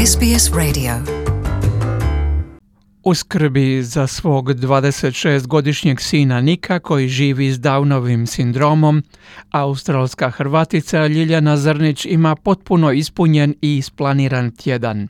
SBS Radio. U skrbi za svog 26-godišnjeg sina Nika koji živi s Downovim sindromom, australska Hrvatica Ljiljana Zrnić ima potpuno ispunjen i isplaniran tjedan.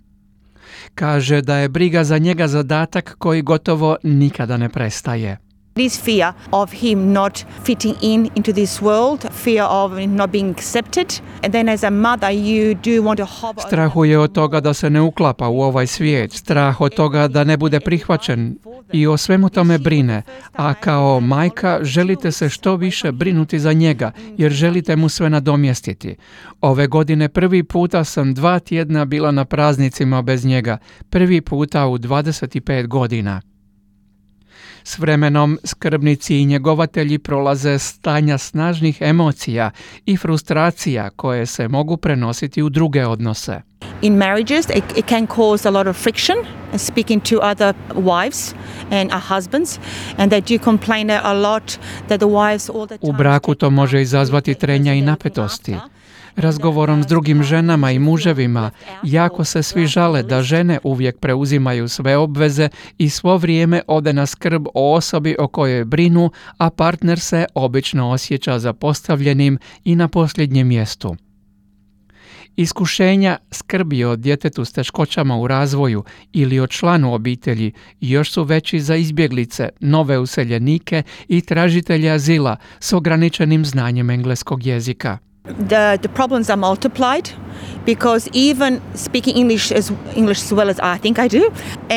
Kaže da je briga za njega zadatak koji gotovo nikada ne prestaje. It is fear of him not fitting into this world, fear of not being accepted. And then as a mother you do want to hover. Strahuje od toga da se ne uklapa u ovaj svijet, strah od toga da ne bude prihvaćen i o svemu tome brine, a kao majka želite se što više brinuti za njega jer želite mu sve nadomjestiti. Ove godine prvi puta sam 2 tjedna bila na praznicima bez njega, prvi puta u 25 godina. S vremenom skrbnici i njegovatelji prolaze stanja snažnih emocija i frustracija koje se mogu prenositi u druge odnose. In marriages it can cause a lot of friction, speaking to other wives and husbands, and they do complain a lot that the wives all the time. U braku to može izazvati trenja i napetosti. Razgovorom s drugim ženama i muževima jako se svi žale da žene uvijek preuzimaju sve obveze i svo vrijeme ode na skrb o osobi o kojoj brinu, a partner se obično osjeća zapostavljenim i na posljednjem mjestu. Iskušenja skrbi o djetetu s teškoćama u razvoju ili o članu obitelji još su veći za izbjeglice, nove useljenike i tražitelje azila s ograničenim znanjem engleskog jezika. The problems are multiplied because even speaking English as well as I think I do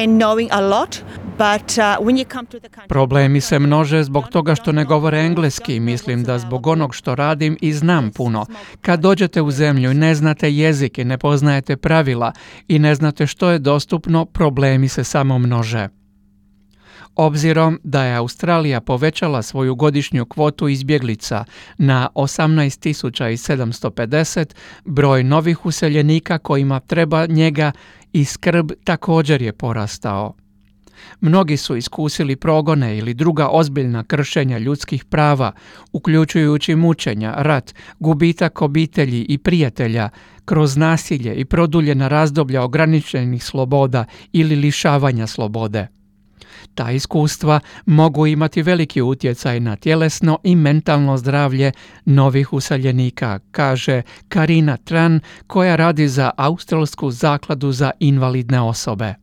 and knowing a lot, but when you come to the country. Problemi se množe zbog toga što ne govore engleski. Mislim da zbog onog što radim i znam puno. Kad dođete u zemlju i ne znate jezik i ne poznajete pravila i ne znate što je dostupno, problemi se samo množe. Obzirom da je Australija povećala svoju godišnju kvotu izbjeglica na 18.750, broj novih useljenika kojima treba njega i skrb također je porastao. Mnogi su iskusili progone ili druga ozbiljna kršenja ljudskih prava, uključujući mučenja, rat, gubitak obitelji i prijatelja, kroz nasilje i produljena razdoblja ograničenih sloboda ili lišavanja slobode. Ta iskustva mogu imati veliki utjecaj na tjelesno i mentalno zdravlje novih useljenika, kaže Karina Tran koja radi za Australsku zakladu za invalidne osobe.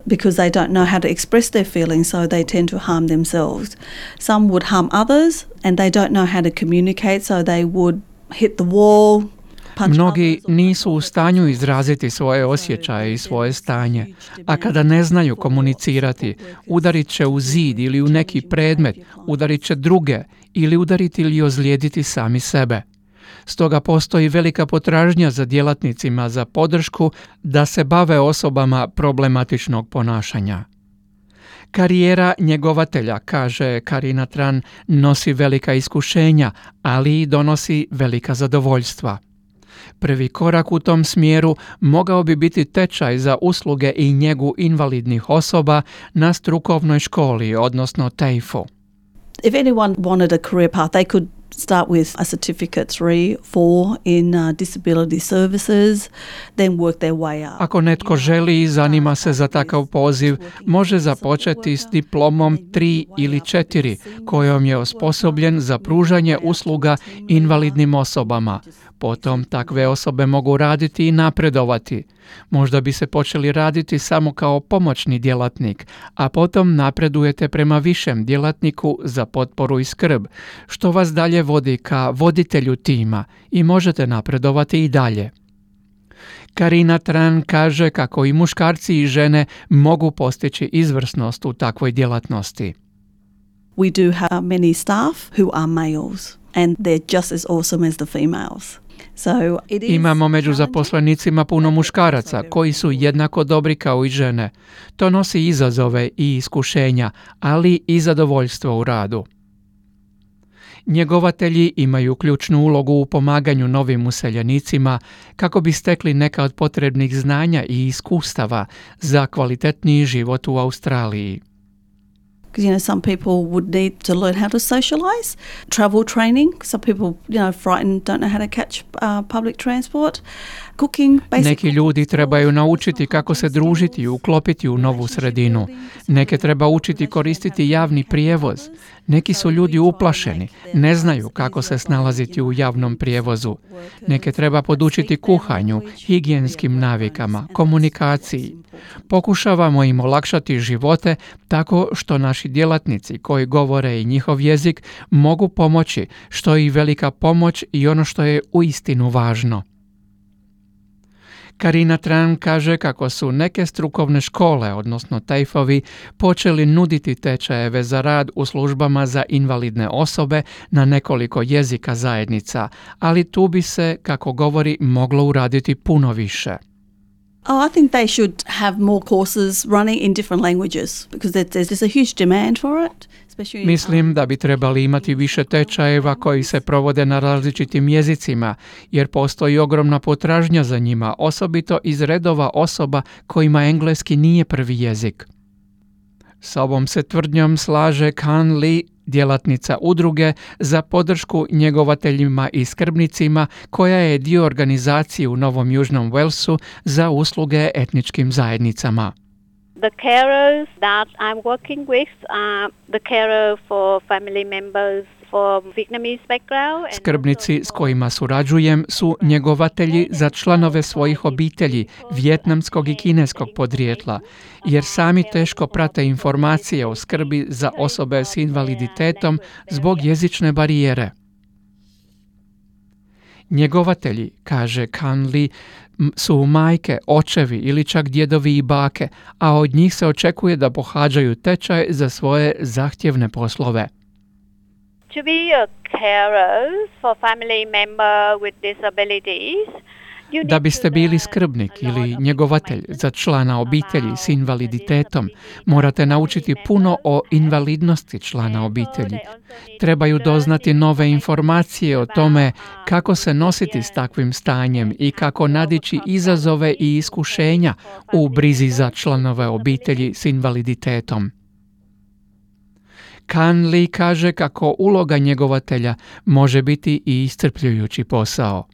Because they don't know how to express their feelings, so they tend to harm themselves. Some would harm others and they don't know how to communicate, so they would hit the wall. Mnogi nisu u stanju izraziti svoje osjećaje i svoje stanje, a kada ne znaju komunicirati, udarit će u zid ili u neki predmet, udarit će druge ili udariti ili ozlijediti sami sebe. Stoga postoji velika potražnja za djelatnicima za podršku da se bave osobama problematičnog ponašanja. Karijera njegovatelja, kaže Karina Tran, nosi velika iskušenja, ali i donosi velika zadovoljstva. Prvi korak u tom smjeru mogao bi biti tečaj za usluge i njegu invalidnih osoba na strukovnoj školi, odnosno TAFE-u. If anyone wanted a career path, they could start with a certificate 3, 4 in disability services, then work their way up. Ako netko želi i zanima se za takav poziv, može započeti s diplomom 3 ili 4, kojom je osposobljen za pružanje usluga invalidnim osobama. Potom takve osobe mogu raditi i napredovati. Možda bi se počeli raditi samo kao pomoćni djelatnik, a potom napredujete prema višem djelatniku za potporu i skrb, što vas dalje vodi ka voditelju tima i možete napredovati i dalje. Karina Tran kaže kako i muškarci i žene mogu postići izvrsnost u takvoj djelatnosti. We do have many staff who are males and they're just as awesome as the females. Imamo među zaposlenicima puno muškaraca koji su jednako dobri kao i žene. To nosi izazove i iskušenja, ali i zadovoljstvo u radu. Njegovatelji imaju ključnu ulogu u pomaganju novim useljenicima kako bi stekli neka od potrebnih znanja i iskustava za kvalitetniji život u Australiji. Because, some people would need to learn how to socialise. Travel training, some people, frightened, don't know how to catch public transport. Cooking, basic. Neki ljudi trebaju naučiti kako se družiti i uklopiti u novu sredinu. Neke treba učiti koristiti javni prijevoz. Neki su ljudi uplašeni, ne znaju kako se snalaziti u javnom prijevozu. Neke treba podučiti kuhanju, higijenskim navikama, komunikaciji. Pokušavamo im olakšati živote tako što naši djelatnici koji govore i njihov jezik mogu pomoći, što je i velika pomoć i ono što je uistinu važno. Karina Tran kaže kako su neke strukovne škole, odnosno TAFE-ovi, počeli nuditi tečajeve za rad u službama za invalidne osobe na nekoliko jezika zajednica, ali tu bi se, kako govori, moglo uraditi puno više. I think they should have more courses running in different languages because there's just a huge demand for it. Mislim da bi trebali imati više tečajeva koji se provode na različitim jezicima, jer postoji ogromna potražnja za njima, osobito iz redova osoba kojima engleski nije prvi jezik. S ovom se tvrdnjom slaže Kan Lee, djelatnica udruge za podršku njegovateljima i skrbnicima, koja je dio organizacije u Novom Južnom Walesu za usluge etničkim zajednicama. The carers that I'm working with are the carer for family members for Vietnamese background. Skrbnici s kojima surađujem su njegovatelji za članove svojih obitelji vijetnamskog i kineskog podrijetla, jer sami teško prate informacije o skrbi za osobe s invaliditetom zbog jezične barijere. Njegovatelji, kaže Kan Lee, su majke, očevi ili čak djedovi i bake, a od njih se očekuje da pohađaju tečaj za svoje zahtjevne poslove. To be a carer for family member with disabilities, Da biste bili skrbnik ili njegovatelj za člana obitelji s invaliditetom, morate naučiti puno o invalidnosti člana obitelji. Trebaju doznati nove informacije o tome kako se nositi s takvim stanjem i kako nadići izazove i iskušenja u brizi za članove obitelji s invaliditetom. Kan Lee kaže kako uloga njegovatelja može biti i iscrpljujući posao.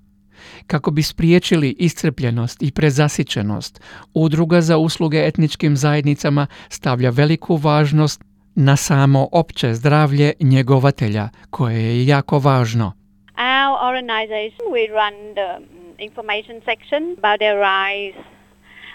Kako bi spriječili iscrpljenost i prezasićenost, Udruga za usluge etničkim zajednicama stavlja veliku važnost na samo opće zdravlje njegovatelja, koje je jako važno. Our organization, we run the information section about their rights.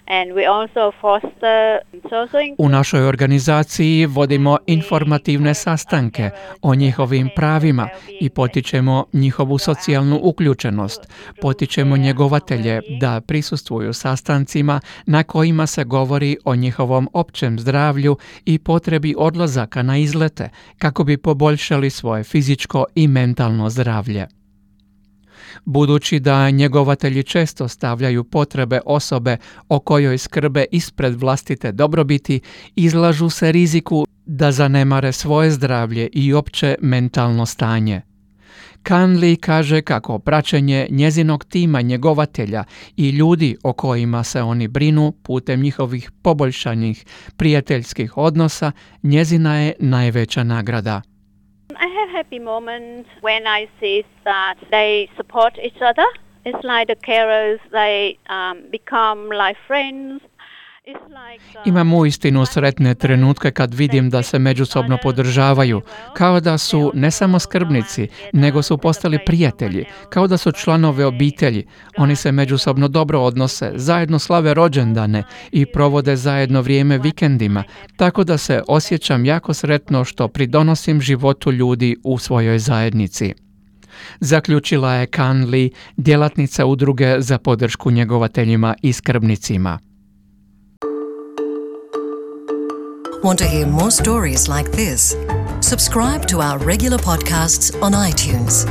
And we also foster social... U našoj organizaciji vodimo informativne sastanke o njihovim pravima i potičemo njihovu socijalnu uključenost. Potičemo njegovatelje da prisustvuju sastancima na kojima se govori o njihovom općem zdravlju i potrebi odlazaka na izlete kako bi poboljšali svoje fizičko i mentalno zdravlje. Budući da njegovatelji često stavljaju potrebe osobe o kojoj skrbe ispred vlastite dobrobiti, izlažu se riziku da zanemare svoje zdravlje i opće mentalno stanje. Kan Lee kaže kako praćenje njezinog tima njegovatelja i ljudi o kojima se oni brinu putem njihovih poboljšanih prijateljskih odnosa njezina je najveća nagrada. I have happy moments when I see that they support each other. It's like the carers, they become like friends. Imam uistinu sretne trenutke kad vidim da se međusobno podržavaju, kao da su ne samo skrbnici, nego su postali prijatelji, kao da su članove obitelji. Oni se međusobno dobro odnose, zajedno slave rođendane i provode zajedno vrijeme vikendima, tako da se osjećam jako sretno što pridonosim životu ljudi u svojoj zajednici. Zaključila je Kan Lee, djelatnica udruge za podršku njegovateljima i skrbnicima. Want to hear more stories like this? Subscribe to our regular podcasts on iTunes.